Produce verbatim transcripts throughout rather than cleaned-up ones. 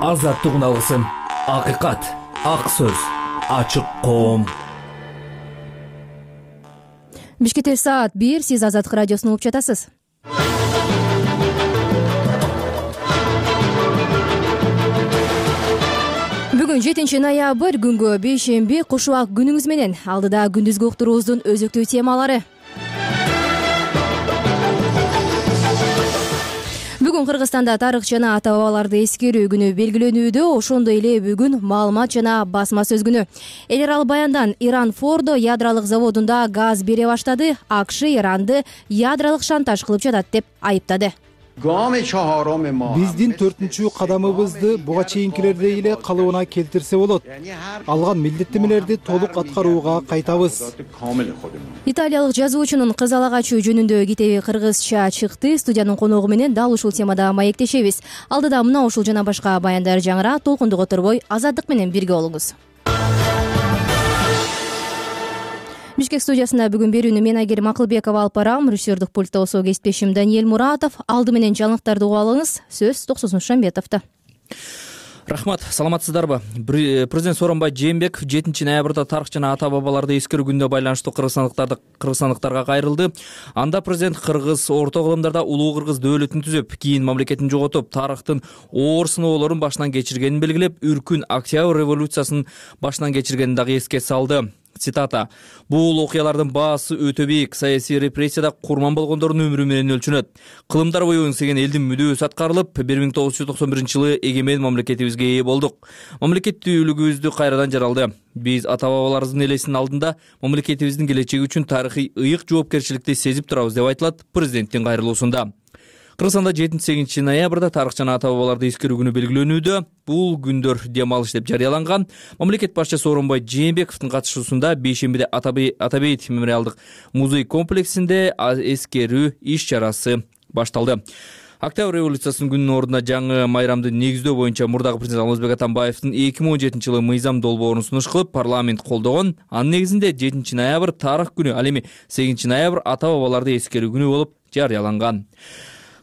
азаттыгын алгысың. Акыйкат, ак сөз, ачык коом. Бишкекте саат бир, сиз Азаттык радиосун угуп жатасыз. Бүгүн жетинчи ноябрь, күнгө бейшемби, куш убак күнүңүз менен. Алдыда күндүзгү уктуруубуздун өзөктүү темалары. Бүгүн Кыргызстанда тарых жана ата бабаларды эскерүү күнү белгиленүүдө, ошондой эле бүгүн маалымат жана басма сөз күнү. Эл аралык баяндан Иран Фордо ядролук заводунда газ бере баштады. АКШ Иранды ядролук шантаж кылып жатат деп айыптады. Биздин төртүнчү кадамыбызды буга чейинкилердей эле калыбына келтирсе болот. Алган милдеттенмелерди толук аткарууга кайтабыз. Италиялык жазуучунун кызала качуу жөнүндө китеби кыргызча чыкты. Студиянын коногу менен дал ушул темада маектешебиз. Алдыда мына ушул жана башка баяндар жаңыра, толкунду которбой Азаттык менен бирге болуңуз. Бишкек студиясында бүгүн берүүнү мен Айгерим Акылбекова алып барам. Режиссердик пультта болсо кесиптешим Даниэль Муратов. Алды менен жаңылыктарды угуп алыңыз. Сөз Токсон Шамбетовдо. Рахмат, саламатсыздарбы? Президент Сооронбай Жээнбеков жетинчи ноябрда тарых жана ата бабаларды эскерүү күнүнө байланыштуу кыргызстандыктарды кыргызстандыктарга кайрылды. Анда президент кыргыз орто кылымдарда улуу кыргыз дөөлөтүн түзүп, кийин мамлекетин жоготуп, тарыхтын оор сыноолорун башынан кечиргенин белгилеп, үркүн Октябрь революциясын башынан кечиргенин дагы эске салды. Цитата: "Бул окуялардын баасы өтө бийик. Саясий репрессияда курман болгондордун өмүрү менен өлчөнөт. Кылымдар бою ыңсеген элдин мүдөөсү аткарылып, бир миң тогуз жүз токсон биринчи жылы эгемен мамлекетибизге ээ болдук. Мамлекеттүүлүгүбүздү кайрадан жаралды. Биз ата бабаларыбыздын элесинин алдында мамлекетибиздин келечеги үчүн тарыхый ыйык жоопкерчиликти сезип турабыз", деп айтылат президенттин кайрылуусунда. Кыргызстанда жетинчи сегизинчи ноябрда тарых жана ата бабаларды эскерүү күнү белгиленүүдө. Бул күндөр дем алыш деп жарыяланган. Мамлекет башчысы Сооронбай Жээнбековдун катышуусунда бейшембиде Атабейт мемориалдык музей комплексинде эскерүү иш чарасы башталды. Октябрь революциясынын күнүнүн ордуна жаңы майрамды негиздөө боюнча мурдагы президент Алмазбек Атамбаевдин эки миң он жетинчи жылы мыйзам долбоорун сунуш кылып, парламент колдогон. Анын негизинде жетинчи ноябрь тарых күнү, ал эми сегизинчи ноябрь ата бабаларды эскерүү күнү болуп жарыяланган.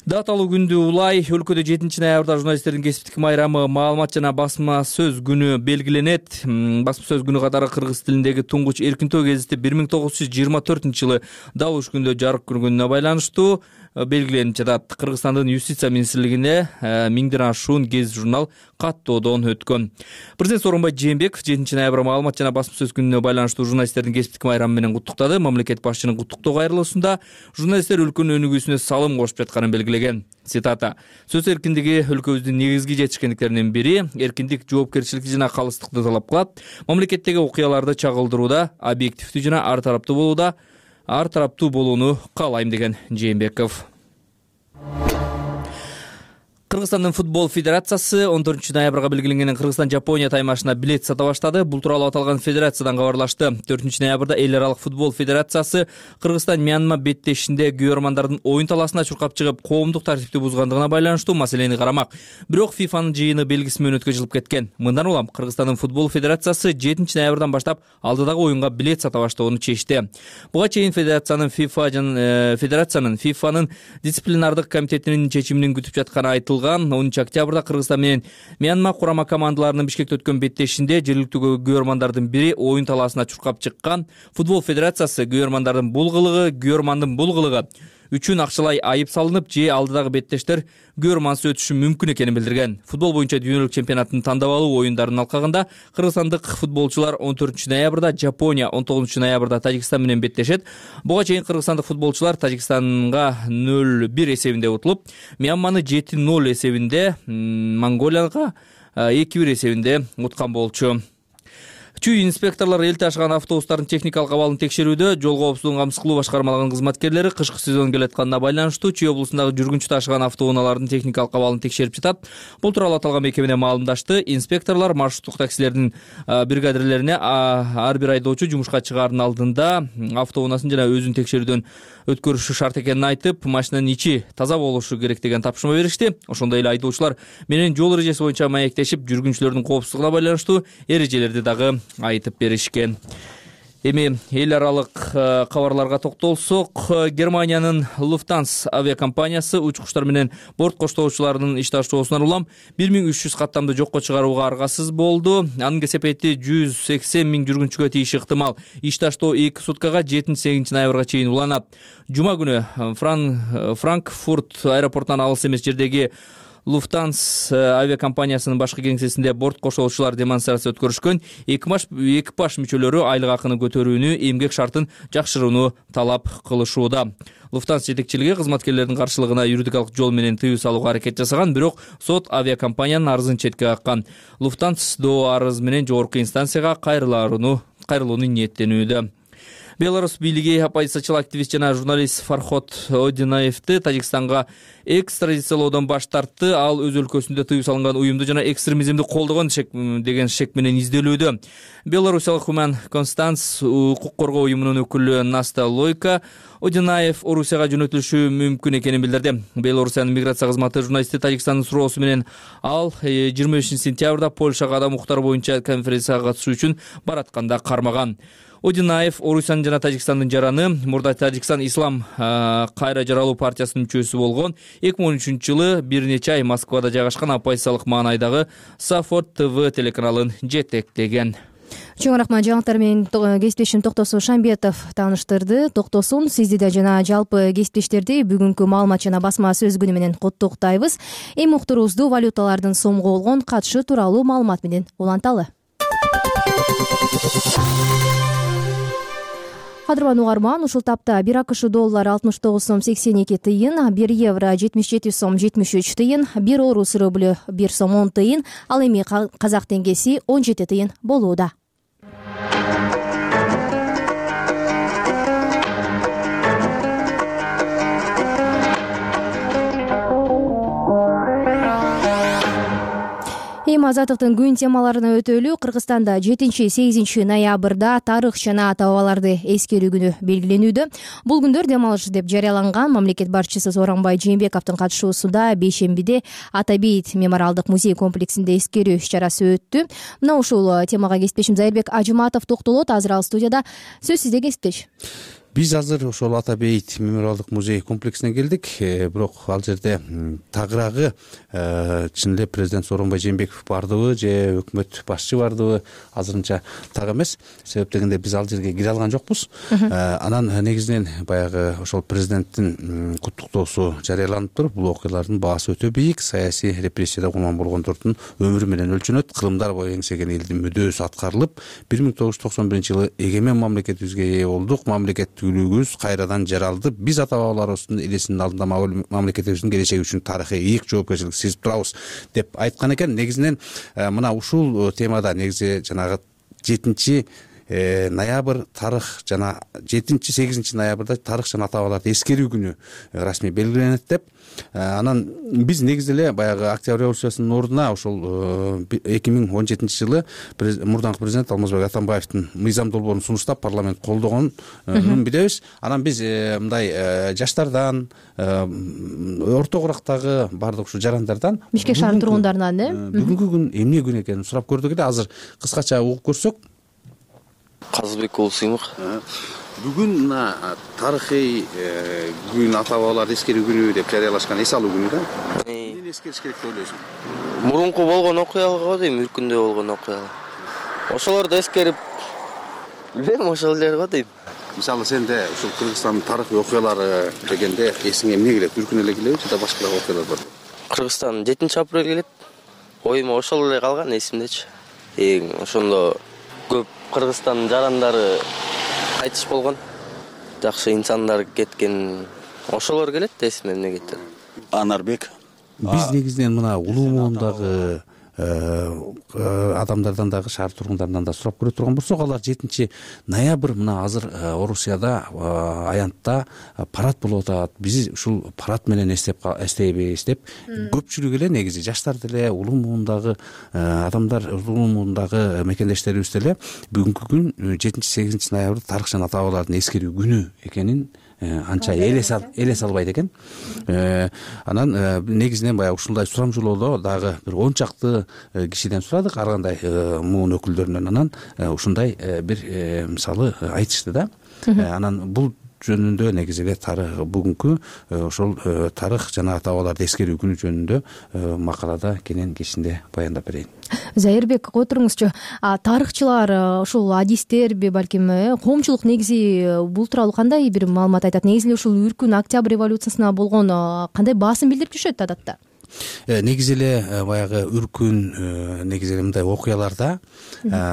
Даталуу күндү улай өлкөдө жетинчи ноябрда журналисттердин кесиптик майрамы, маалымат жана басма сөз күнү белгиленет. Басма сөз күнү катары кыргыз тилиндеги туңгуч эркинтөө гезити бир миң тогуз жүз жыйырма төртүнчү жылы дал ушул күндө жарык көргөнүнө байланыштуу белгиленип жатат. Кыргызстандын юстиция министрлигине миңден ашуун гезит журнал каттоодон өткөн. Президент Сооронбай Жээнбеков жетинчи ноябрь маалымат жана басма сөз күнүнө байланыштуу журналисттердин кесиптик майрамы менен куттуктады. Мамлекет башчынын куттуктоо кайрылуусунда журналисттер өлкөнүн өнүгүүсүнө салым кошуп жатканын белгилеген. Цитата: "Сөз эркиндиги өлкөбүздүн негизги жетишкендиктеринин бири. Эркиндик жоопкерчиликти жана калыстыкты талап кылат. Мамлекеттеги окуяларды чагылдырууда объективдүү жана ар тараптуу болууда ар тараптуу болууну каалайм", деген Жээнбеков. Кыргызстандын футбол федерациясы он төртүнчү ноябрга белгиленген Кыргызстан Жапония таймашына билет сата баштады. Бул тууралуу аталган федерациядан кабарлашты. төртүнчү ноябрда эл аралык футбол федерациясы Кыргызстан Мьянма беттешинде күйөрмандардын оюн талаасына чуркап чыгып, коомдук тартипти бузгандыгына байланыштуу маселени карамак. Бирок ФИФАнын жыйыны белгиси менен өткөзүлүп кеткен. Мындан улам Кыргызстандын футбол федерациясы жетинчи ноябрдан баштап алдыдагы оюнга билет сата баштоону чечти. Буга чейин федерациянын FIFA жана федерациянын ФИФАнын дисциплинардык комитетинин чечимин күтүп жатканы айтылган. онунчу октябрда Кыргызстан менен Мьянма курама командаларынын Бишкекте өткөн беттешинде жергиликтүү күйөрмандардын бири оюн талаасына чуркап чыккан. Футбол федерациясы күйөрмандардын бул кылыгы, күйөрмандын бул кылыгы үчүн акчалай айып салынып, же алдыдагы беттештер күйөрмансыз өтүшү мүмкүн экенин билдирген. Футбол боюнча дүйнөлүк чемпионаттын тандабалуу оюндарынын алкагында кыргызстандык футболчулар он төртүнчү ноябрда Жапония, он тогузунчу ноябрда Тажикстан менен беттешет. Буга чейин кыргызстандык футболчулар Тажикстанга нөл бир эсебинде утулуп, Мьянманы жети нөл эсебинде, Монголияга эки бир эсебинде уткан болчу. Чүй инспекторлор эл ташыган автобустардын техникалык абалын текшерүүдө. Жол коопсуздугун камсыз кылуу башкармалыгынын кызматкерлери кышкы сезон келатканына байланыштуу Чүй облусундагы жүргүнчү ташыган автоунаалардын техникалык абалын текшерип жатат. Бул тууралуу аталган мекемеде маалымдашты. Инспекторлор маршруттук таксилердин бригадирлерине ар бир айдоочу жумушка чыгаардын алдында автоунаасын жана өзүн текшерүүдөн өткөрүшү шарт экенин айтып, машинанын ичи таза болушу керек деген тапшырма беришти. Ошондой эле айдоочулар менен жол эрежеси боюнча маектешип, жүргүнчүлөрдүн коопсуздугуна байланыштуу эрежелерди дагы айтып беришкен. Эми эл аралык кабарларга токтолсок, Германиянын Lufthansa авиакомпаниясы учкучтар менен борт коштоочуларынын иш ташуусунан улам бир миң үч жүз каттамды жокко чыгарууга аргасыз болду. Анын кесепети жүз сексен миң жүргүнчүгө тийиши ыктымал. Иш таштоо эки суткага жетинчи сегизинчи ноябрга чейин уланат. Жума күнү Фран... Франкфурт аэропортунан алыс эмес жердеги Lufthansa авиакомпаниясынын башкы кеңсесинде борт кошоочулар демонстрация өткөрүшкөн. Экипаж мүчөлөрү айлык акыны көтөрүүнү, эмгек шартын жакшырууну талап кылышууда. Lufthansa жетекчилиги кызматкерлердин каршылыгына юридикалык жол менен тыюу салууга аракет жасаган, бирок сот авиакомпаниянын арызын четке каккан. Lufthansa до арыз менен жогорку инстанцияга кайрылууну кайрылууну ниеттенүүдө. Беларусь бийлиги оппозициячыл активист жана журналист Фарход Одинаевди Тажикстанга экстрадициялоодон баш тартты. Ал өз өлкөсүндө тыюу салынган уюмду жана экстремизмди колдогон деген шек менен изделүүдө. Белорусиялык Human Constance укук коргоо уюмунун өкүлү Наста Лойка Одинаев Орусияга жөнөтүлүшү мүмкүн экенин билдирди. Белорусиянын миграция кызматы журналисти Тажикстандын суроосу менен ал жыйырма бешинчи сентябрда Польшага адам укуктары боюнча конференцияга катышуу үчүн баратканда кармаган. Одинаев Орусиянын жана Тажикстандын жараны, мурда Тажикстан Ислам кайра жаралуу партиясынын мүчөсү болгон. эки миң он үчүнчү жылы бир нече ай Москвада жайгашкан оппозициялык маанайдагы Сафорд ТВ телеканалын жетектеген. Чоң рахмат. Жаңылыктар менен кесиптешим Токтосун Шамбетов тааныштырды. Токтосун сизди да жана жалпы кесиптештерди бүгүнкү маалымат жана басма сөз күнү менен куттуктайбыз. Эми уктуруубузду валюталардын сомго болгон катышы тууралуу маалымат менен уланталы. Кадырман угарман, ушул тапта бир АКШ доллары алтымыш тогуз сом сексен эки тыйын, бир евро жетимиш жети сом жетимиш үч тыйын, бир орус рублю бир сом он тыйын, ал эми казак теңгеси он жети тыйын болууда. Эми азаттыктын күн темаларына өтөлү. Кыргызстанда жетинчи сегизинчи ноябрда тарых жана ата бабаларды эскерүү күнү белгиленүүдө. Бул күндөр дем алыш деп жарыяланган. Мамлекет башчысы Сооронбай Жээнбековдун катышуусунда бейшембиде Ата бейит мемориалдык музей комплексинде эскерүү иш-чарасы өттү. Мына ушул темага кесиптешим Зайырбек Ажыматов токтолот. Азыр ал студияда. Сөз сизде, кесиптеш. Биз азыр ошол Ата бейит мемориалдык музей комплексине келдик. Бирок ал жерде тагыраагы чын эле президент Сооронбай Жээнбеков бардыбы же өкмөт башчы бардыбы азырынча так эмес. Себеп дегенде биз ал жерге кире алган жокпуз. Анан негизинен баягы ошол президенттин куттуктоосу жарыяланыптыр. Бул окуялардын баасы өтө бийик. Саясий репрессияда курман болгондордун өмүрү менен өлчөнөт. Кылымдар бою эңсеген элдин мүдөөсү аткарылып, бир миң тогуз жүз токсон биринчи жылы эгемен мамлекетибизге ээ болдук. Мамлекет үлүгүбүз кайрадан жаралды. Биз ата бабаларыбыздын элесинин алдында мамлекетибиздин келечеги үчүн тарыхый ийик жоопкерчилик сезип турабыз деп айткан экен. Негизинен мына ушул темада негизи жанагы жетинчи ноябрь тарых жана жетинчи сегизинчи ноябрда тарых жана ата бабаларды эскерүү күнү расмий белгиленет деп. Анан биз негизи эле баягы Октябрь революциясынын ордуна ошол эки миң он жетинчи жылы мурдаңкы президент Алмазбек Атамбаевдин мыйзам долбоорун сунуштап парламент колдогонун билебиз. Анан биз мындай жаштардан, орто курактагы бардык ушу жарандардан, Бишкек шаарынын тургундарынан э бүгүнкү күн эмне күн экенин сурап көрдүк эле. Азыр кыскача угуп көрсөк. Казыбек уулу Сыймык. Бүгүн мына тарыхый күн ата бабаларды эскерүү күнү деп жарыялашкан, эс алуу күнү да. Эмнени эскериш керек деп ойлойсуң? Мурунку болгон окуяларга дейм, үркүндө болгон окуялар. Ошолорду эскерип, билбейм, ошол эле го дейм. Мисалы сенде ушул Кыргызстандын тарыхый окуялары дегенде эсиңе эмне келет? Үркүн эле келеби же башка окуялар барбы? Кыргызстан жетинчи апрель келет. Оюма ошол эле калган эсимдечи. Эң ошондо көп Кыргызстандын жарандары кайтыш болгон. Жакшы инсандар кеткен. Ошолор келет, эсиме эмне кетти. Анарбек. Биз негизинен мына улуу муундагы адамдардан дагы, шаар тургундарынан да сурап көрө турган болсок, алар жетинчи ноябрь мына азыр Орусияда аянтта парад болуп атат. Биз ушул парад менен эстеп эстейбиз деп көпчүлүк эле негизи жаштар деле, улуу муундагы адамдар, улуу муундагы мекендештерибиз деле бүгүнкү күн жетинчи сегизинчи ноябрь тарых жана ата бабалардын эскерүү күнү экенин анча эле салбайт экен. Анан негизинен баягы ушундай сурамжылоодо дагы бир он чакты кишиден сурадык, ар кандай муун өкүлдөрүнөн. Анан ушундай бир мисалы айтышты да. Анан бул жөнүндө негизи эле тарых бүгүнкү ошол тарых жана ата бабаларды эскерүү күнү жөнүндө макалада кенен кечинде баяндап берейин. Зайырбек, отуруңузчу. Тарыхчылар, ушул адистерби, балким коомчулук негизи бул тууралуу кандай бир маалымат айтат? Негизи эле ушул үркүн Октябрь революциясына болгон кандай баасым билдирип жүрүшөт адатта? Негизи эле баягы үркүн негизи эле мындай окуяларда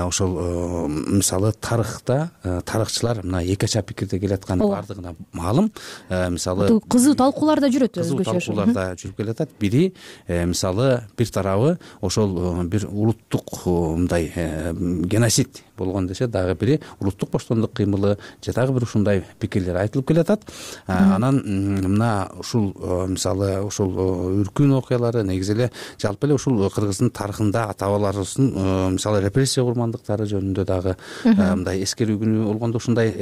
ошол мисалы тарыхта тарыхчылар мына эки ача пикирде келатканы баардыгына маалым. Мисалы кызуу талкууларда жүрөт, кызуу талкууларда жүрүп келатат. Бири мисалы бир тарабы ошол бир улуттук мындай геноцид болгон десе, дагы бири улуттук боштондук кыймылы же дагы бир ушундай пикирлер айтылып келатат. Анан мына ушул мисалы ушул үркүн окуялары негизи эле жалпы эле ушул Кыргыздын тарыхында ата бабаларыбыздын мисалы репрессия курмандыктары жөнүндө дагы мындай эскерүү күнү болгондо ушундай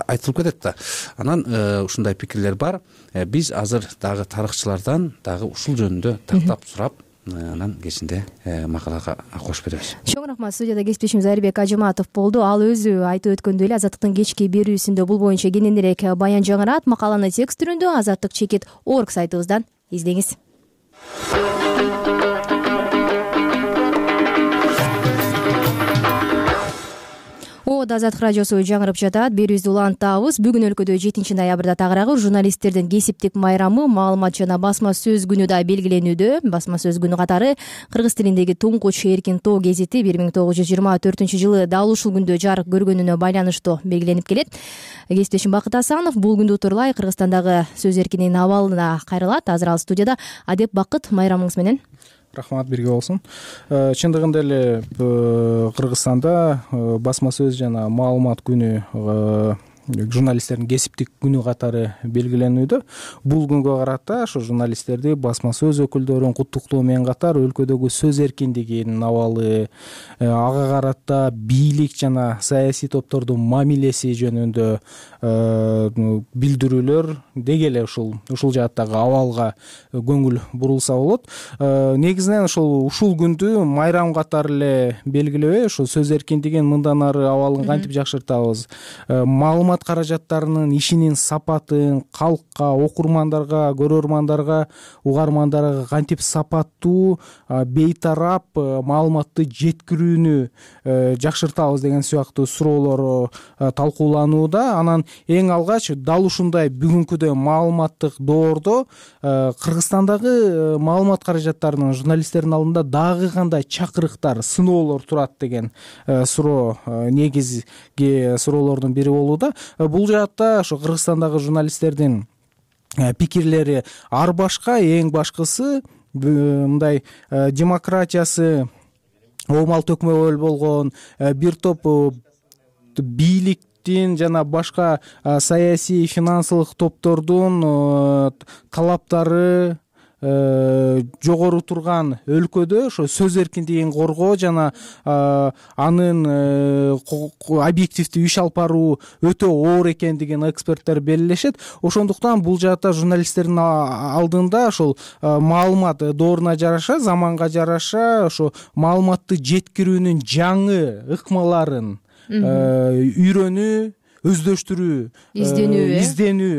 айтылып кетет да. Анан ушундай пикирлер бар. Биз азыр дагы тарыхчылардан дагы ушул жөнүндө тактап сурап, анан кечинде макалага кошуп беребиз. Чоң рахмат. Студияда кесиптешим Зайырбек Ажыматов болду. Ал өзү айтып өткөндөй эле Азаттыктын кечки берүүсүндө бул боюнча кененирээк баян жаңырат. Макаланы текст түрүндө азаттык чекит точка орг сайтыбыздан издеңиз. Ода Азаттык радиосу жаңырып жатат. Берүүбүздү улантабыз. Бүгүн өлкөдө жетинчи ноябрда тагыраагы журналисттердин кесиптик майрамы, маалымат жана басма сөз күнү да белгиленүүдө. Басма сөз күнү катары кыргыз тилиндеги туңкуч эркин тоо гезити бир миң тогуз жүз жыйырма төртүнчү жылы дал ушул күндө жарык көргөнүнө байланыштуу белгиленип келет. Кесиптешим Бакыт Асанов бул күндү утурлай Кыргызстандагы сөз эркинин абалына кайрылат. Азыр ал студияда. Адеп Бакыт, майрамыңыз менен. Рахмат, бирге болсун. Чындыгында эле Кыргызстанда басма сөз жана маалымат күнү журналисттердин кесиптик күнү катары белгиленүүдө. Бул күнгө карата ошо журналисттерди басма сөз өкүлдөрүн куттуктоо менен катар өлкөдөгү сөз эркиндигинин абалы, ага карата бийлик жана саясий топтордун мамилеси жөнүндө билдирүүлөр деги эле ушул ушул жааттагы абалга көңүл бурулса болот. Негизинен ошол ушул күндү майрам катары эле белгилебей, ошол сөз эркиндигин мындан ары абалын кантип жакшыртабыз, маалымат каражаттарынын ишинин сапатын калкка, окурмандарга, көрөрмандарга, угармандарга кантип сапаттуу, бейтарап маалыматты жеткирүүнү жакшыртабыз деген сыяктуу суроолор талкууланууда. Анан эң алгач дал ушундай бүгүнкүдөй маалыматтык доордо Кыргызстандагы маалымат каражаттарынын журналисттердин алдында дагы кандай чакырыктар, сыноолор турат деген суроо негизги суроолордун бири болууда. Бул жаатта ошо Кыргызстандагы журналисттердин пикирлери ар башка. Эң башкысы мындай демократиясы оомал төкмөбөл болгон бир топ бийликтин жана башка саясий финансылык топтордун талаптары жогору турган өлкөдө ошо сөз эркиндигин коргоо жана анын объективдүү иш алып баруу өтө оор экендигин эксперттер белгилешет. Ошондуктан бул жаатта журналисттердин алдында ошол маалымат дооруна жараша, заманга жараша ошо маалыматты жеткирүүнүн жаңы ыкмаларын үйрөнүү, өздөштүрүү, изденүү изденүү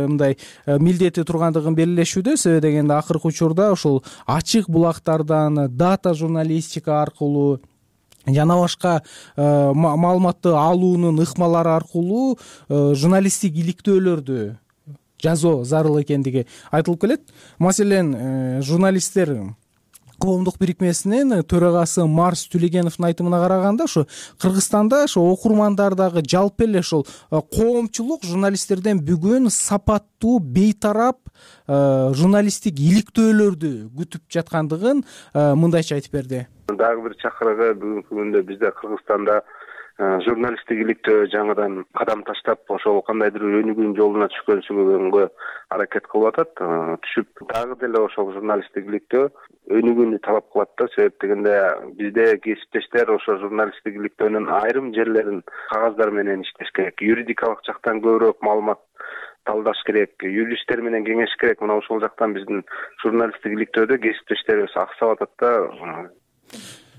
мындай милдети тургандыгын белгилешүүдө. Себеби дегенде акыркы учурда ошол ачык булактардан, дата журналистика аркылуу жана башка маалыматты алуунун ыкмалары аркылуу журналисттик иликтөөлөрдү жазуу зарыл экендиги айтылып келет. Маселен, журналисттер коомдук бирикмесинин төрагасы Марс Түлегеновдун айтымына караганда, ошо Кыргызстанда ошо окурмандардагы жалпы эле ошол коомчулук журналисттерден бүгүн сапаттуу, бейтарап журналисттик иликтөөлөрдү күтүп жаткандыгын мындайча айтып берди. Дагы бир чакырыгы бүгүнкү күндө бизде Кыргызстанда журналисттик иликтөө жаңыдан кадам таштап, ошол кандайдыр өнүгүүнүн жолуна түшкөнсүгөнгө аракет кылып атат. Түшүп дагы деле ошол журналисттик иликтөө өнүгүүнү талап кылат да. Себеп дегенде бизде кесиптештер ошо журналисттик иликтөөнүн айрым жерлерин кагаздар менен иштеш керек. Юридикалык жактан көбүрөөк маалымат талдаш керек, юристтер менен кеңеш керек. Мына ошол жактан биздин журналисттик иликтөөдө кесиптештерибиз аксап атат да.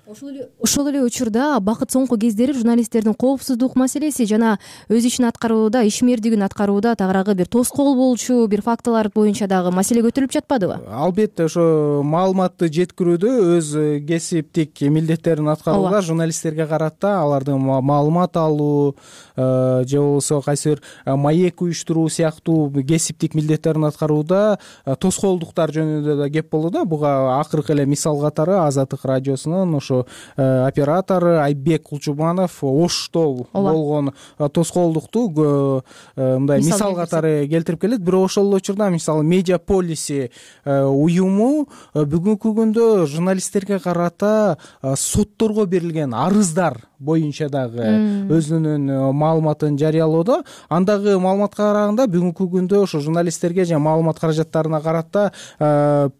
Ошол эле ошол эле учурда бакыт соңку кездери журналисттердин коопсуздук маселеси жана өз ишин аткарууда, ишмердигин аткарууда тагыраагы бир тоскоол болчу бир фактылар боюнча дагы маселе көтөрүлүп жатпадыбы? Албетте, ошо маалыматты жеткирүүдө өз кесиптик милдеттерин аткарууда журналисттерге карата алардын маалымат алуу же болбосо кайсы бир маек уюштуруу сыяктуу кесиптик милдеттерин аткарууда тоскоолдуктар жөнүндө да кеп болду да. Буга акыркы эле мисал катары Азаттык радиосунун ошо оператору Айбек Кулчубанов Ошто болгон тоскоолдукту мындай мисал катары келтирип келет. Бирок ошол эле учурда мисалы Медиа Полиси уюму бүгүнкү күндө журналисттерге карата сотторго берилген арыздар боюнча дагы өзүнүн маалыматын жарыялоодо. Андагы маалыматка караганда бүгүнкү күндө ошо журналисттерге жана маалымат каражаттарына карата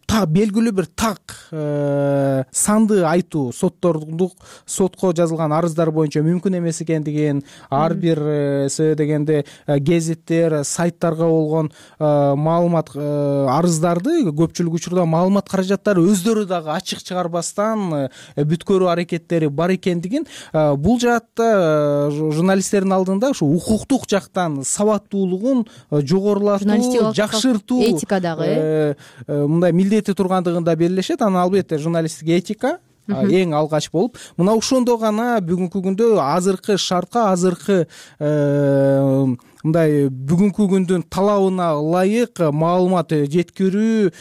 белгилүү бир так санды айтуу, соттордук сотко жазылган арыздар боюнча мүмкүн эмес экендигин, ар бир себеби дегенде гезиттер, сайттарга болгон маалымат арыздарды көпчүлүк учурда маалымат каражаттары өздөрү дагы ачык чыгарбастан бүткөрүү аракеттери бар экендигин, бул жаатта журналисттердин алдында ушу укуктук жактан сабаттуулугун жогорулатуу, жакшыртуу, этика дагы мындай милдети тургандыгын да белгилешет. Анан албетте журналисттик этика эң алгач болуп, мына ошондо гана бүгүнкү күндө азыркы шартка, азыркы мындай бүгүнкү күндүн талабына ылайык маалымат жеткирүү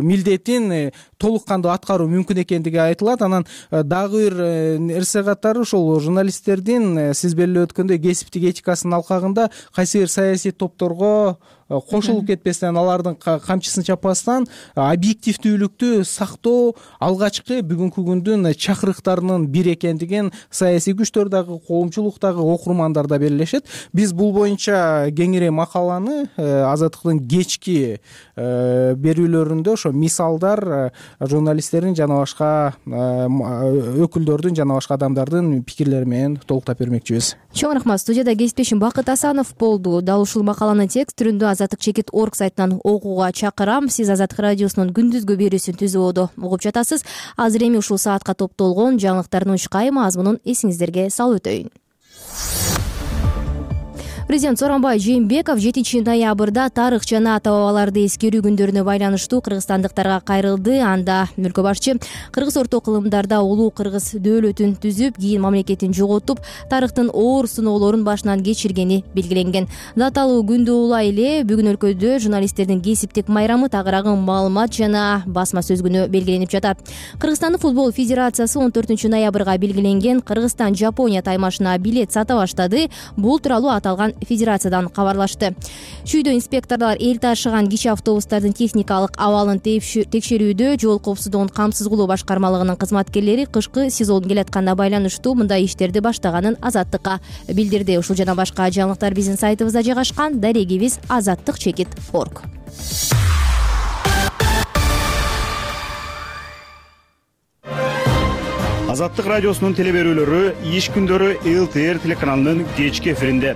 милдетин толук кандуу аткаруу мүмкүн экендиги айтылат. Анан дагы бир нерсе катары ошол журналисттердин сиз белгилеп өткөндөй кесиптик этикасынын алкагында кайсы бир саясий топторго кошулуп кетпестен, алардын камчысын чаппастан объективдүүлүктү сактоо алгачкы бүгүнкү күндүн чакырыктарынын бири экендигин саясий күчтөр дагы, коомчулук дагы, окурмандар да белгилешет. Биз бул боюнча кеңири макаланы Азаттыктын кечки берүүлөрүндө ошо мисалдар журналисттердин жана башка өкүлдөрдүн жана башка адамдардын пикирлери менен толуктап бермекчибиз. Чоң рахмат. Студияда кесиптешим Бакыт Асанов болду. Дал ушул макаланы текст түрүндө азаттык чекит орг сайтынан окууга чакырам. Сиз Азаттык радиосунун күндүзгү берүүсүн түзүүдө угуп жатасыз. Азыр эми ушул саатка топтолгон жаңылыктардын учкай мазмунун эсиңиздерге салып өтөйүн. Президент Сооронбай Жээнбеков жетинчи ноябрда тарых жана ата бабаларды эскерүү күндөрүнө байланыштуу кыргызстандыктарга кайрылды. Анда өлкө башчы кыргыз орто кылымдарда улуу кыргыз дөөлөтүн түзүп, кийин мамлекетин жоготуп, тарыхтын оор сыноолорун башынан кечиргени белгиленген. Даталуу күндү улай эле бүгүн өлкөдө журналисттердин кесиптик майрамы тагыраагы маалымат жана басма сөз күнү белгиленип жатат. Кыргызстандын футбол федерациясы он төртүнчү ноябрга белгиленген Кыргызстан Жапония таймашына билет сата баштады. Бул тууралуу аталган федерациядан кабарлашты. Шүйдө инспекторлор эл ташыган кичи автобустардын техникалык абалын текшерүүдө жол коопсуздугун камсыз кылуу башкармалыгынын кызматкерлери кышкы сезон келатканына байланыштуу мындай иштерди баштаганын Азаттыкка билдирди. Ушул жана башка жаңылыктар биздин сайтыбызда жайгашкан. Дарегибиз азаттык чекит орг. Азаттык радиосунун телеберүүлөрү иш күндөрү эл тэ эр телеканалынын кечки эфиринде.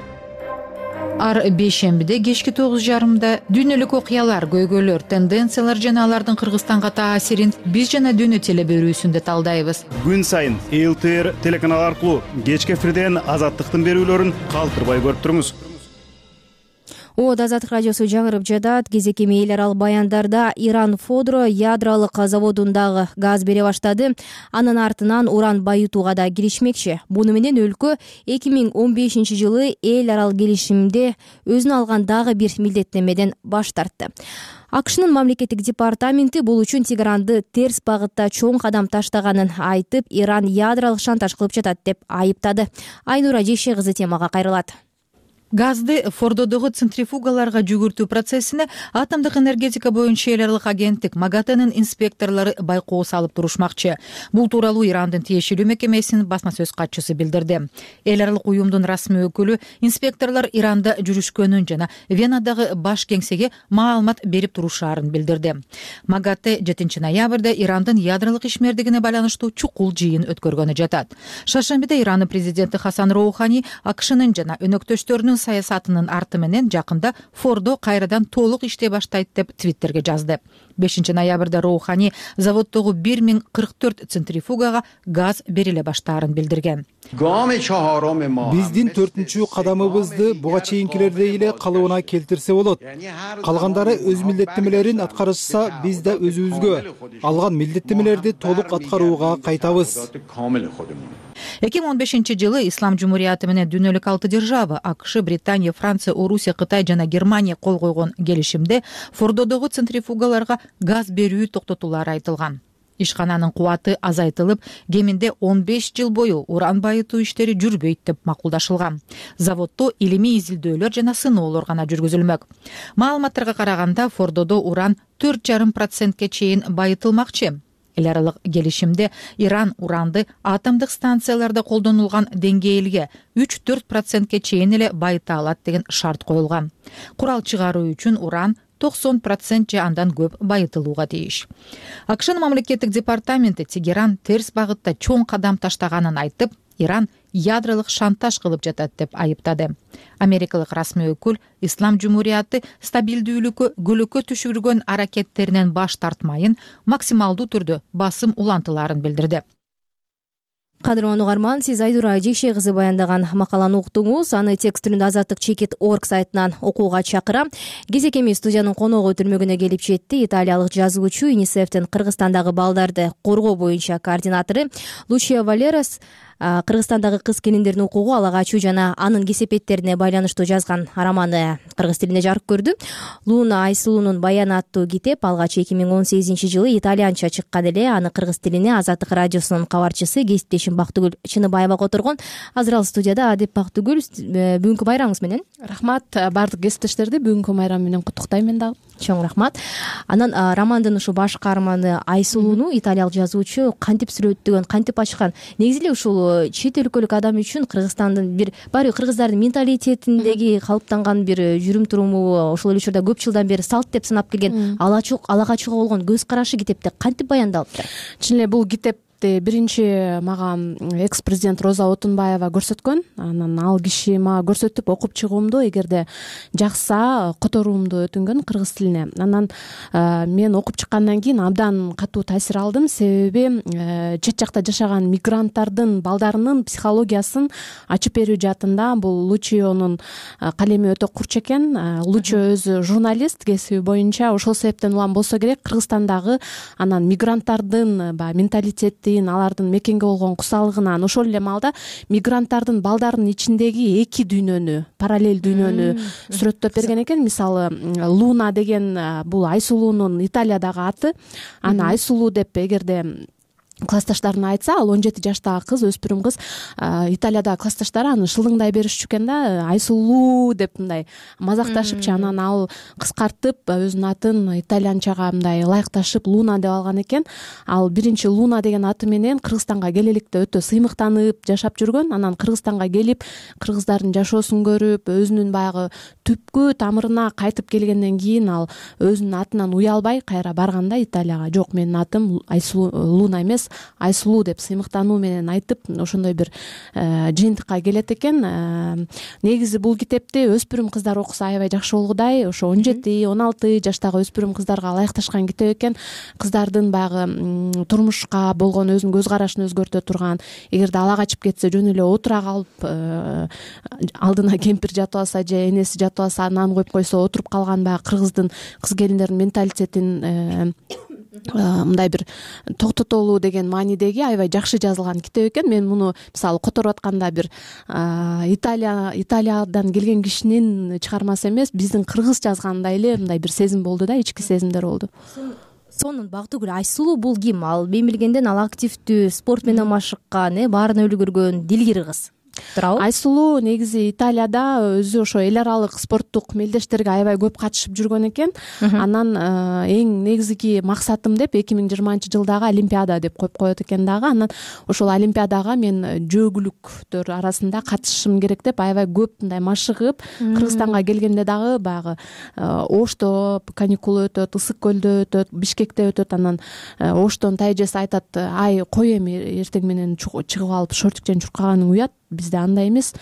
Ар бейшембиде кечки тогуз жарымда дүйнөлүк окуялар, көйгөйлөр, тенденциялар жана алардын Кыргызстанга таасирин биз жана дүйнө телеберүүсүндө талдайбыз. Күн сайын эл тэ эр телеканалы аркылуу кечки эфирден Азаттыктын берүүлөрүн калтырбай көрүп туруңуз. О, Азаттык радиосу жаңырып жатат. Кезеки эл арал баяндарда Иран Фодро ядролук заводундагы газ бере баштады. Анын артынан уран байытууга да киришмекчи. Муну менен өлкө эки миң он бешинчи жылы эл арал келишимде өзүнө алган дагы бир милдеттенмеден баш тартты. АКШнын мамлекеттик департаменти бул үчүн Тегеранды терс багытта чоң кадам таштаганын айтып, Иран ядролук шантаж кылып жатат деп айыптады. Айнура Жеше кызы темага кайрылат. Газды Фордодогу центрифугаларга жүгүртүү процессине атомдук энергетика боюнча эл аралык агенттик МАГАТЭнин инспекторлору байкоо салып турушмакчы. Бул тууралуу Ирандын тиешелүү мекемесинин басма сөз катчысы билдирди. Эл аралык уюмдун расмий өкүлү инспекторлор Иранда жүрүшкөнүн жана Венадагы баш кеңсеге маалымат берип турушаарын билдирди. МАГАТЭ жетинчи ноябрда Ирандын ядролук ишмердигине байланыштуу чукул жыйын өткөргөнү жатат. Шаршембиде Ирандын президенти Хасан Роухани АКШнын жана өнөктөштөрүнүн саясатынын арты менен жакында Фордо кайрадан толук иштей баштайт деп твиттерге жазды. бешинчи ноябрда Роухани заводдогу бир миң кырк төрт центрифугага газ бериле баштаарын билдирген. Биздин төртүнчү кадамыбызды буга чейинкилердей эле калыбына келтирсе болот. Калгандары өз милдеттемелерин аткарышса, биз да өзүбүзгө алган милдеттемелерди толук аткарууга кайтабыз. эки миң он бешинчи жылы Ислам Жумурияты менен дүйнөлүк алты держава АКШ, Британия, Франция, Орусия, Кытай жана Германия кол койгон келишимде Фордодогу центрифугаларга газ берүү токтотулары айтылган. Ишкананын кубаты азайтылып, кеминде он беш жыл бою уран байытуу иштери жүрбөйт деп макулдашылган. Заводдо илимий изилдөөлөр жана сыноолор гана жүргүзүлмөк. Маалыматтарга караганда Фордодо уран төрт жарым процентке чейин байытылмакчы. Эл аралык келишимде Иран уранды атомдук станцияларда колдонулган деңгээлге үч төрт процентке чейин эле байыта алат деген шарт коюлган. Курал чыгаруу үчүн уран токсон процент же андан көп байытылууга тийиш. АКШнын мамлекеттик департаменти Тегеран терс багытта чоң кадам таштаганын айтып, Иран ядролук шантаж кылып жатат деп айыптады. Америкалык расмий өкүл Ислам Жумурияты стабилдүүлүккө көлөкө түшүргөн аракеттеринен баш тартмайын, максималдуу түрдө басым улантыларын билдирди. Кадырлуу угарман, сиз Айдура Жекше кызы баяндаган макаланы уктуңуз. Аны текст түрүндө азаттык чекит точка орг сайтынан окууга чакырам. Кезекеми студиянын коногу өтүрмөгүнө келип жетти. Италиялык жазуучу, ЮНИСЕФтин Кыргызстандагы балдарды коргоо боюнча координатору Лучия Валерас Кыргызстандагы кыз келиндердин укугу, ала качуу жана анын кесепеттерине байланыштуу жазган романы кыргыз тилинде жарык көрдү. Луна Айсулуунун баяны аттуу китеп алгач эки миң он сегизинчи жылы итальянча чыккан эле. Аны кыргыз тилине Азаттык радиосунун кабарчысы, кесиптешим Бактыгүл Чыныбаева которгон. Азыр ал студияда. Адеп Бактыгүл, бүгүнкү байрамыңыз менен. Рахмат, баардык кесиптештерди бүгүнкү байрам менен куттуктайм мен дагы. Чоң рахмат. Анан романдын ушу баш каарманы Айсулууну италиялык жазуучу кантип сүрөттөгөн, кантип ачкан? Негизи эле ушул чет өлкөлүк адам үчүн Кыргызстандын бир баары кыргыздардын менталитетиндеги калыптанган бир жүрүм туруму, ошол эле учурда көп жылдан бери салт деп санап келген ала качууга болгон көз карашы китепте кантип баяндалыптыр? Чын эле бул китеп биринчи мага экс президент Роза Отунбаева көрсөткөн. Анан ал киши мага көрсөтүп окуп чыгуумду эгерде жакса которуумду өтүнгөн кыргыз тилине. Анан мен окуп чыккандан кийин абдан катуу таасир алдым, себеби чет жакта жашаган мигранттардын балдарынын психологиясын ачып берүү жаатында бул Лучионун калеми өтө курч экен. Лучио өзү журналист кесиби боюнча, ошол себептен улам болсо керек Кыргызстандагы анан мигранттардын баягы менталитети, алардын мекенге болгон кусалыгынан, ошол эле маалда мигранттардын балдарынын ичиндеги эки дүйнөнү, параллель дүйнөнү сүрөттөп берген экен. Мисалы, Луна деген бул Айсулуунун Италиядагы аты. Аны Айсулуу деп эгерде классташтарына айтса, ал он жети жаштагы кыз, өспүрүм кыз, Италиядагы классташтары аны шылыңдай беришчү экен да, Айсулуу деп мындай мазакташыпчы. Анан ал кыскартып өзүнүн атын итальянчага мындай ылайыкташып Луна деп алган экен. Ал биринчи Луна деген аты менен Кыргызстанга келе электе өтө сыймыктанып жашап жүргөн. Анан Кыргызстанга келип, кыргыздардын жашоосун көрүп, өзүнүн баягы түпкү тамырына кайтып келгенден кийин ал өзүнүн атынан уялбай кайра барганда Италияга, жок, менин атым Айсулуу, Луна эмес, Айсулуу деп сыймыктануу менен айтып, ошондой бир жыйынтыкка келет экен. Негизи бул китепти өспүрүм кыздар окуса аябай жакшы болгудай. Ошо он жети он алты жаштагы өспүрүм кыздарга ылайыкташкан китеп экен. Кыздардын баягы турмушка болгон өзүнүн көз карашын өзгөртө турган, эгерде ала качып кетсе жөн эле отура калып, алдына кемпир жатып алса же энеси жатып алса нан коюп койсо отуруп калган баягы кыргыздын кыз келиндердин менталитетин мындай бир токтотолуу деген маанидеги аябай жакшы жазылган китеп экен. Мен муну мисалы которуп атканда бир Италия Италиядан келген кишинин чыгармасы эмес, биздин кыргыз жазгандай эле мындай бир сезим болду да, ички сезимдер болду. Сонун Бактыгүл, Айсулуу бул ким? Ал мен билгенден ал активдүү, спорт менен машыккан, баарын үлгүргөн дилгир кыз. Айсулуу негизи Италияда өзү ошо эл аралык спорттук мелдештерге аябай көп катышып жүргөн экен. Анан эң негизги максатым деп эки миң жыйырманчы жылдагы Олимпиада деп коюп коет экен дагы. Анан ошол Олимпиадага мен жөөгүлүктөр арасында катышышым керек деп аябай көп мындай машыгып, Кыргызстанга келгенде дагы баягы Ошто каникул өтөт, Ысык көлдө өтөт, Бишкекте өтөт. Анан Оштон тайэжеси айтат: "Ай, кой эми эртең менен чыгып алып шортикчен чуркаганың уят. бизде андай эмес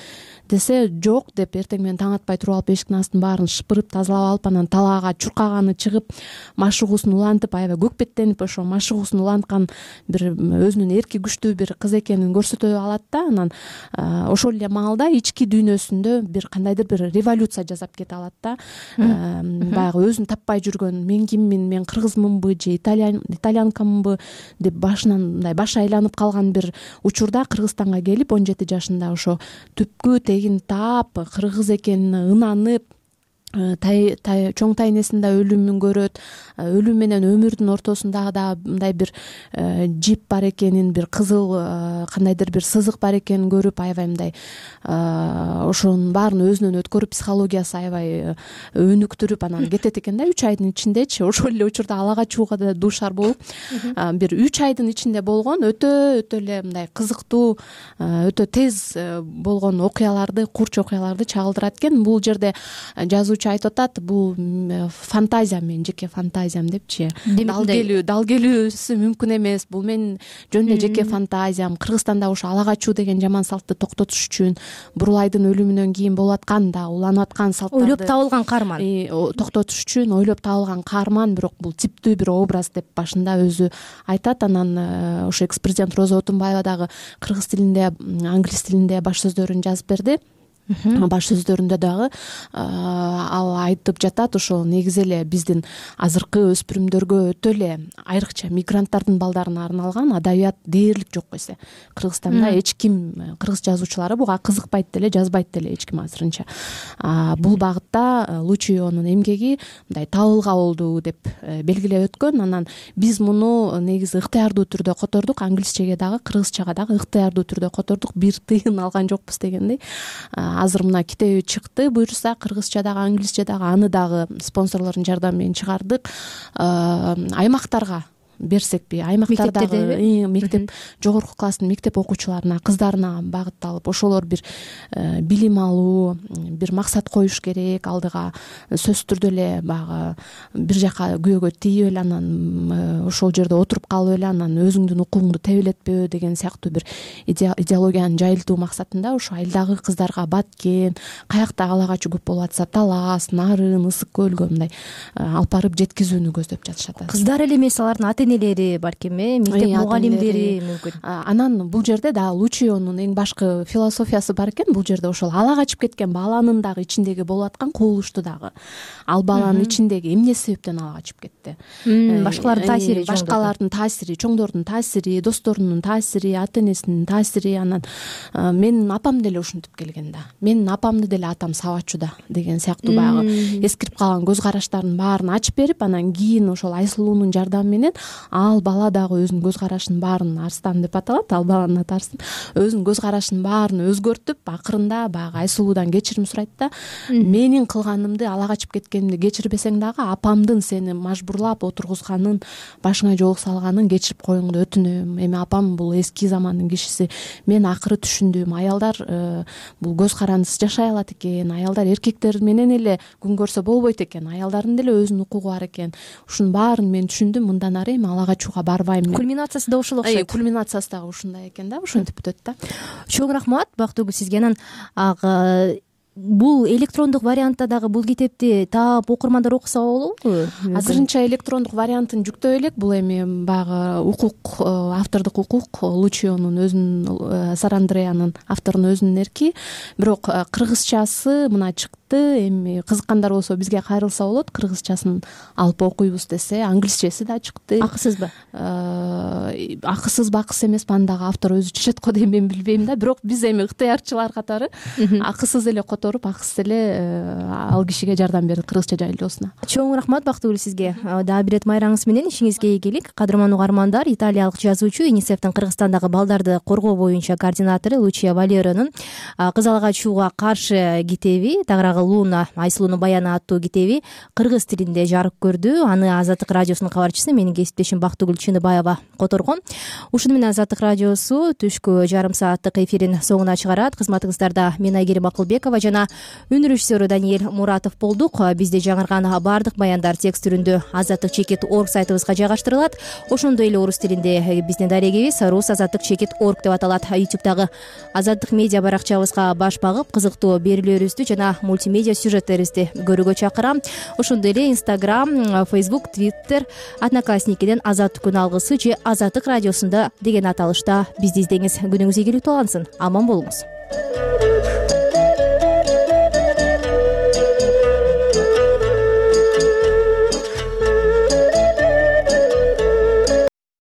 десе жок деп эртең менен таң атпай туруп алып эшиктин астын баарын шыпырып тазалап алып анан талаага чуркаганы чыгып машыгуусун улантып аябай көкпеттенип ошо машыгуусун уланткан бир өзүнүн эрки күчтүү бир кыз экенин көрсөтө алат да анан ошол эле маалда ички дүйнөсүндө бир кандайдыр бир революция жасап кете алат да баягы өзүн таппай жүргөн мен киммин мен кыргызмынбы же итальянкамынбы деп башынан мындай башы айланып калган бир учурда Кыргызстанга келип он жети жашында ошо түпкү тегин таап кыргыз экенине ынанып чоң тайнесинде өлүмүн көрөт, өлүм менен өмүрдүн ортосунда да мындай бир жип бар экенин, бир кызыл кандайдыр бир сызык бар экенин көрүп аябай мындай ошонун баарын өзүнөн өткөрүп психологиясы аябай өнүктүрүп анан кетет экен да үч айдын ичиндечи. Ошол эле учурда алага чууга да дуушар болуп бир үч айдын ичинде болгон өтө өтө эле мындай кызыктуу, өтө тез болгон окуяларды, курч окуяларды чагылдырат экен. Бул жерде жазуу айтып атат, бул фантазия, менин жеке фантазиям депчи. Дал келүү, дал келүүсү мүмкүн эмес. Бул менин жөн эле жеке фантазиям. Кыргызстанда ошо ала качуу деген жаман салтты токтотуш үчүн Бурулайдын өлүмүнөн кийин болуп аткан да уланып аткан салттарды ойлоп табылган каарман. Токтотуш үчүн ойлоп табылган каарман, бирок бул типтүү бир образ деп башында өзү айтат. Анан ошо экс президент Роза Отунбаева дагы кыргыз тилинде, англис тилинде баш сөздөрүн жазып берди. Баш сөздөрүндө дагы ал айтып жатат, ошол негизи эле биздин азыркы өспүрүмдөргө өтө эле айрыкча мигранттардын балдарына арналган адабият дээрлик жок эсе. Кыргызстанда эч ким, кыргыз жазуучулары буга кызыкпайт деле, жазбайт деле эч ким азырынча. Бул багытта Лучионун эмгеги мындай табылга болду деп белгилеп өткөн. Анан биз муну негизи ыктыярдуу түрдө котордук, англисчеге дагы, кыргызчага дагы ыктыярдуу түрдө котордук, бир тыйын алган жокпуз дегендей. Азыр мына китеби чыкты, буюрса кыргызча дагы, англисче дагы, аны дагы спонсорлордун жардамы менен чыгардык. Аймактарга берсекпи, аймактардагы мектеп, жогорку класстын мектеп окуучуларына, кыздарына багытталып, ошолор бир билим алуу, бир максат коюш керек, алдыга сөзсүз түрдө эле баягы бир жака күбөгө тийип эле анан ошол жерде отуруп калып эле анан өзүңдүн укугуңду тебелетпөө деген сыяктуу бир идеологияны жайылтуу максатында ошо айылдагы кыздарга Баткен, каякта ала качуу көп болуп атса Талас, Нарын, Ысык көлгө мындай алып барып жеткизүүнү көздөп жатышат. Кыздар эле эмес, алардын ата энелери балким, мектеп мугалимдери мүмкүн. Анан бул жерде да Лучионун эң башкы философиясы бар экен. Бул жерде ошол ала качып кеткен баланын дагы ичиндеги болуп аткан кубулушту дагы, ал баланын ичиндеги эмне себептен ала качып кетти? Башкалардын таасири, башкалардын таасири, чоңдордун таасири, досторунун таасири, ата энесинин таасири. Анан менин апам деле ушинтип келген да. Менин апамды деле атам сабачу да деген сыяктуу баягы эскирип калган көз караштардын баарын ачып берип, анан кийин ошол Айсулуунун жардамы менен ал бала дагы өзүнүн көз карашынын баарын, Арстан деп аталат, ал баланын аты Арстан, өзүнүн көз карашынын баарын өзгөртүп, акырында баягы Айсулуудан кечирим сурайт да. Менин кылганымды, ала качып кеткенимди кечирбесең дагы апамдын сени мажбурлап отургузганын, башыңа жоолук салганын кечирип коюңду өтүнөм. Эми апам бул эски замандын кишиси. Мен акыры түшүндүм, аялдар бул көз карандысыз жашай алат экен, аялдар эркектер менен эле күн көрсө болбойт экен, аялдардын деле өзүнүн укугу бар экен. Ушунун баарын мен түшүндүм. Мындан ары эми ала качууга барбайм. Кульминациясы да ушул окшойт. Кульминациясы дагы ушундай экен да, ошентип бүтөт да. Чоң рахмат Бактыгүл сизге. Анан бул электрондук вариантта дагы бул китепти таап окурмандар окуса болобу? Азырынча электрондук вариантын жүктөй элек. Бул эми баягы укук, автордук укук, Лучионун өзүнүн, Сарандреянын, авторунун өзүнүн эрки. Бирок кыргызчасы мына чыкты. Эми кызыккандар болсо бизге кайрылса болот, кыргызчасын алып окуйбуз десе. Англисчеси да чыкты. Акысызбы? Акысыз бакыс эмеспи, аны дагы автор өзү чечет го дейм, мен билбейм да. Бирок биз эми ыктыярчылар катары акысыз эле которуп, акысыз эле ал кишиге жардам бердик кыргызча жайлоосуна. Чоң рахмат Бактыгүл сизге. Дагы бир ирет майраңыз менен ишиңизге ийгилик. Кадырман угармандар, италиялык жазуучу, ЮНИСЕФтин Кыргызстандагы балдарды коргоо боюнча координатору Лучия Валеронун «Кыз ала качууга каршы» китеби тагыраагы дагы луна Айсулуунун баяны аттуу китеби кыргыз тилинде жарык көрдү. Аны Азаттык радиосунун кабарчысы менин кесиптешим Бактыгүл Чыныбаева которгон. Ушуну менен Азаттык радиосу түшкү жарым сааттык эфирин соңуна чыгарат. Кызматыңыздарда мен Айгерим Акылбекова жана үн режиссеру Даниэль Муратов болдук. Бизде жаңырган баардык баяндар текст түрүндө азаттык чекит орг сайтыбызга жайгаштырылат. Ошондой эле орус тилинде биздин дарегибиз рус азаттык чекит орг деп аталат. ютубтагы Азаттык медиа баракчабызга баш багып кызыктуу берүүлөрүбүздү жана мультимедиа сюжеттерибизди көрүүгө чакырам. Ошондой эле Instagram, Facebook, Twitter, Одноклассникиден Азаттык күн алгысы же Азаттык радиосунда деген аталышта бизди издеңиз. Күнүңүз ийгиликтүү алынсын. Аман болуңуз.